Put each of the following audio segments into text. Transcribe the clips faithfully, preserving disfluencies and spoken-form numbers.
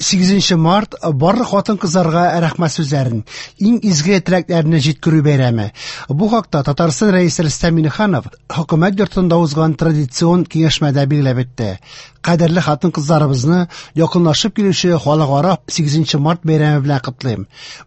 Сигезенче март барлык хатын-кызларга рәхмәт сүзләрен, иң изге теләкләрне җиткерү бәйрәме. Бу хакта Татарстан Рәисе Рөстәм Миңнеханов хөкүмәт йортында узган традицион киңәшмәдә билгеләп үтте. Кадерле хатын-кызларыбызны якынлашып килүче халыкара сигезенче март бәйрәме белән котлыйм.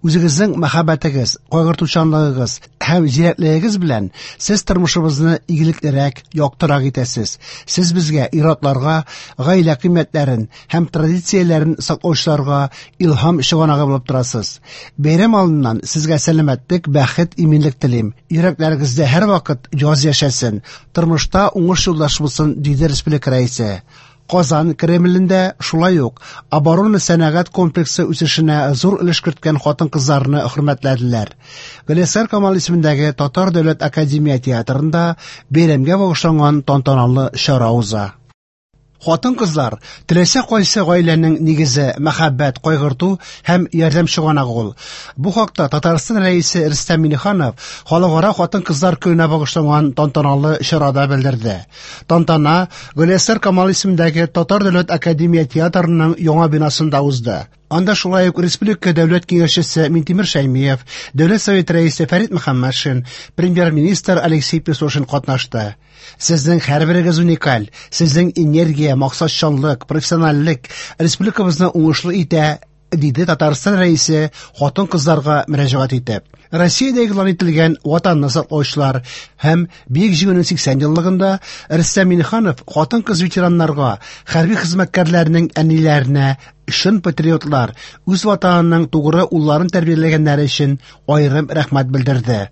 Үзегезнең мәхәббәтегез, кайгыртучанлыгыгыз һәм зирәклегегез белән сез тормышыбызны игелеклерәк, яктырак итәсез. Сез безгә, ир-атларга, гаилә кыйммәтләрен һәм традицияләрен саклаучыларга илһам чыганагы булып торасыз. Бәйрәм алдыннан сезгә сәламәтлек, бәхет, иминлек телим. Йөрәкләрегездә һәрвакыт яз яшәсен, тормышта уңыш юлдаш булсын, диде республика рәисе. Казан Кремлендә шулай ук оборона сәнәгать комплексы үсешенә зур өлеш керткән хатын-кызларны хөрмәтләделәр. Галиәсгар Камал исемендәге Татар дәүләт академия театрында бәйрәмгә багышланган тантаналы чара уза. Хатын-кызлар теләсә кайсы гаиләнең нигезе, мәхәббәт, кайгырту һәм ярдәм чыганагы ул. Бу хакта Татарстан Рәисе Рөстәм Миңнеханов Халыкара хатын-кызлар көненә багышланган тантаналы чарада белдерде. Тантана Галиәсгар Камал исемендәге Татар дәүләт академия театрының яңа бинасында узды. Анда шулай ук Республика дәүләт киңәшчесе Минтимер Шәймиев, Дәүләт Советы рәисе Фәрит Мөхәммәтшин, премьер-министр Алексей Песошин катнашты. Сезнең һәрберегез уникаль, сезнең энергия, максатчанлык, профессиональлек республикабызны уңышлы итә, диде Татарстан Рәисе хатын-кызларга мөрәҗәгать итеп. Россиядә игълан ителгән Ватанны саклаучылар һәм Бөек Җиңүнең сиксән еллыгында Рөстәм Миңнеханов хатын-кыз ветераннарга, хәрби хезмәткәрләрнең әниләренә, чын патриотлар, үз ватанының тугры улларын тәрбияләгәннәре өчен аерым рәхмәт белдерде.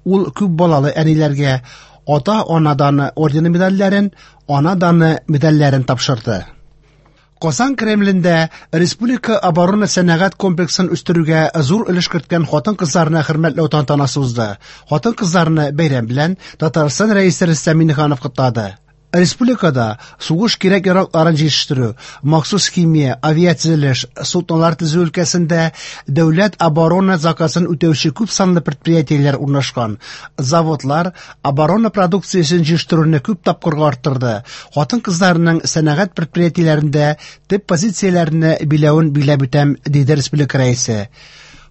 Ул күп балалы әниләргә ата-ана даны ордены медальләрен, ана даны медальләрен тапшырды. Казан Кремлендә Республика оборона сәнәгать комплексын үстерүгә зур өлеш керткән хатын-кызларны хөрмәтләү тантанасы узды. Хатын-кызларны бәйрәм белән Татарстан Рәисе Рөстәм Миңнеханов котлады. Республикада сугыш кирәк-яракларын җитештерү, махсус химия, авиатөзелеш, суднолар төзү өлкәсендә дәүләт оборона заказын үтәүче күп санлы предприятиеләр урнашкан. Заводлар оборона продукциясен җитештерүне күп тапкырга арттырды. Хатын-кызларның сәнәгать предприятиеләрендә төп позицияләрне биләвен биләп үтәм, диде республика рәисе.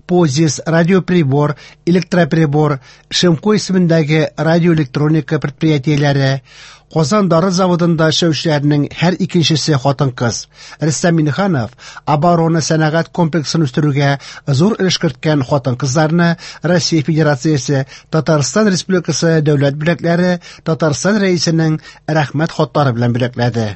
Позис, радиоприбор, электроприбор, Шимко исемендәге радиоэлектроника предприятиеләре, Казан дары заводында эшләүчеләрнең һәр икенчесе хатын-кыз. Рөстәм Миңнеханов оборона сәнәгать комплексын үстерүгә зур өлеш керткән хатын-кызларны Россия Федерациясе, Татарстан Республикасы дәүләт бүләкләре, Татарстан Рәисенең рәхмәт хатлары белән бүләкләде.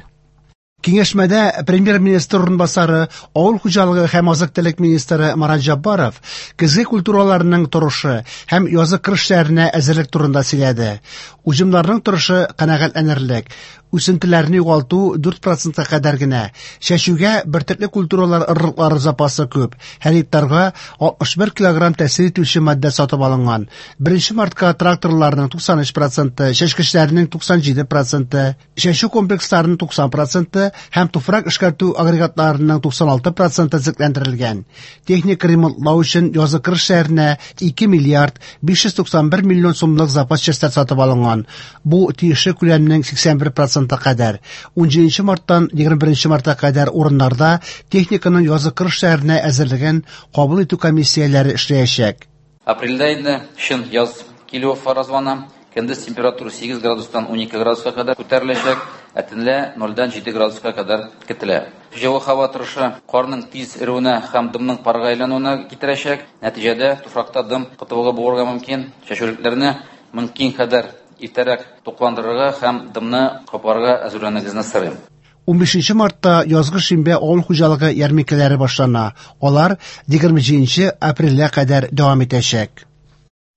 Киңәшмәдә премьер-министр урынбасары, авыл хуҗалыгы һәм азык-төлек министры Марат Җаббаров көзге культураларының торышы һәм язгы кыр эшләренә әзерлек турында сөйләде. Уҗымнарның торышы канәгатьләнерлек. Үсентеләрне югалту дүрт процентка кадәр генә. Чәчүгә бөртекле культуралар орлыклары запасы күп. Һәр гектарга алтмыш бер килограмм тәэсир итүче матдә сатып алынган. Беренче мартка тракторларның туксан өч проценты, чәчкечләрнең туксан җиде проценты, чәчү комплексларының туксан проценты һәм туфрак эшкәртү агрегатларының туксан алты проценты төзекләндерелгән. Техник ремонтлау өчен язгы кыр эшләренә ике миллиард биш йөз туксан бер миллион сумлык запас частьләр сатып алынган. Бу тиешле күләмнең сиксән бер проценты кадәр. Ун җиденче марттан егерме беренче мартка кадәр урыннарда техниканың язгы кыр эшләренә әзерлеген кабул итү комиссияләре эшләячәк. Апрельдә инде чын яз килүе фаразлана. Көндез температура сигез градустан унике градуска кадәр күтәреләчәк, ә төнлә нольдән җиде градуска кадәр көтелә. Җылы һава торышы карның тиз эрүенә һәм дымның парга әйләнүенә китерәчәк. Нәтиҗәдә туфракта дым кытылыгы булырга мөмкин. Чәчүлекләрне мөмкин кадәр иртәрәк тукландырырга һәм дымны капларга әзерләнүегезне сорыйм. Унбишенче мартта язгы шимбә авыл хуҗалыгы ярминкәләре башлана. Алар егерме җиденче апрельгә кадәр дәвам итәчәк.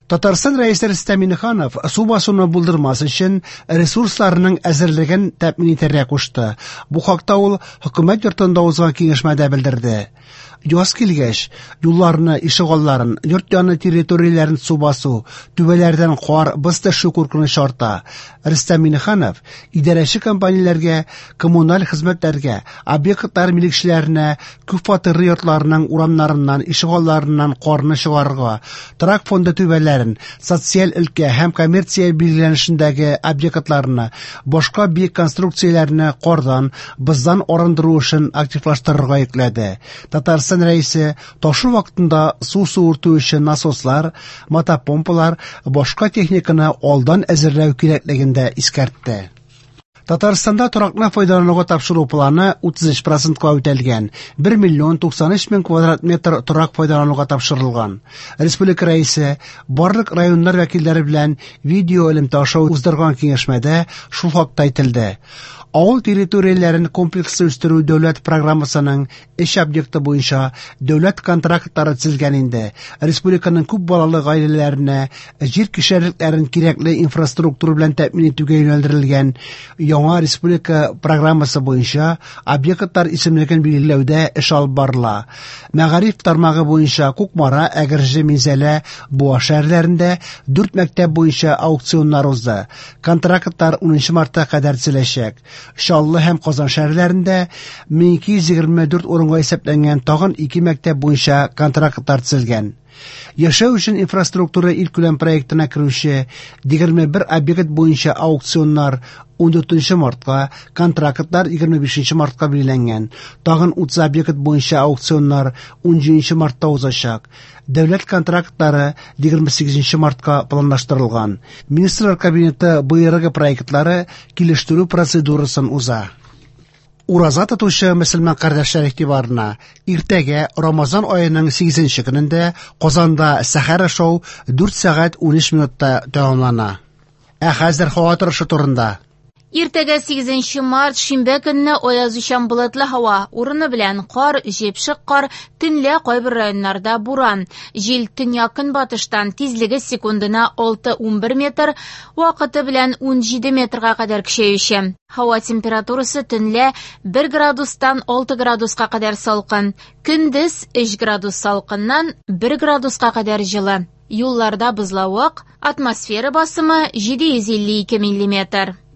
Татарстан Рәисе Рөстәм Миңнеханов су басуны булдырмас өчен ресурсларның әзерлеген тәэмин итәргә кушты. Бу хакта ул хөкүмәт йортында узган киңәшмәдә белдерде. Яз килгәч, юлларны, ишегалларын, йорт яны территорияләрен су басу, түбәләрдән кар, боз төшү куркынычы арта. Рөстәм Миңнеханов идарәче компанияләргә, коммуналь хезмәтләргә, объектлар милекчеләренә күпфатирлы йортларның урамнарыннан, ишегалларыннан карны чыгарырга, торак фонды түбәләрен, социаль өлкә һәм коммерция билгеләнешендәге объектларны, башка биек конструкцияләрне кардан, боздан арындыру эшен активлаштырырга йөкләде. Татарстан Рәисе ташу вакытында су суырту өчен насослар, мотопомпалар, башка техниканы алдан әзерләү кирәклеген дә искәртте. Татарстанда торакны файдалануга тапшыру планы утыз өч процентка үтәлгән. бер миллион туксан өч мең квадрат метр торак файдалануга тапшырылган. Республика Рәисе барлык районнар вәкилләре белән видео элемтә аша уздырган киңәшмәдә шул хакта әйтелде. Авыл территорияләрен комплекслы үстерү дәүләт программасының эш объекты буенча дәүләт контрактлары төзелгән инде. Республиканың күп балалы гаиләләренә җир кишәрлекләрен кирәкле инфраструктура белән тәэмин итүгә юнәлдерелгән яңа республика программасы буенча объектлар исемлеген билгеләүдә эш алып барыла. Мәгариф тармагы буенча Кукмара, Әгерҗе, Минзәлә, Буа шәһәрләрендә дүрт мәктәп буенча аукционнар узды. Контрактлар унынчы мартка кадәр төзеләчәк. Чаллы һәм Казан шәһәрләрендә мең ике йөз егерме дүрт урынга исәпләнгән тагын ике мәктәп буенча контрактлар төзелгән. Яшәү өчен инфраструктура илкүләм проектына керүче егерме бер объект буенча аукционнар ундүртенче мартка, контрактлар егерме бишенче мартка билгеләнгән. Тагын утыз объект буенча аукционнар унҗиденче мартта узачак. Дәүләт контрактлары егерме сигезенче мартка планлаштырылган. Министрлар Кабинеты боерыгы проектлары килештерү процедурасын уза. Ураза тотучы мөселман кардәшләр игътибарына иртәгә Рамазан аеның сигезенче көнендә Казанда сәхәр ашау дүрт сәгать унөч минутта тәмамлана. Ә хәзер һава торышы турында. Иртәгә сигезенче март шимбә көнне аязучан болытлы һава, урыны белән кар, җепшек кар, төнлә кайбер районнарда буран. Җил төньяк көнбатыштан, тизлеге секундына алты унбер метр, вакыты белән унҗиде метрга кадәр көчәюче. Һава температурасы төнлә бер градустан алты градуска кадәр салкын, көндез өч градус салкыннан бер градуска кадәр җылы. Юлларда бозлавык, атмосфера басымы җиде йөз илле ике миллиметр.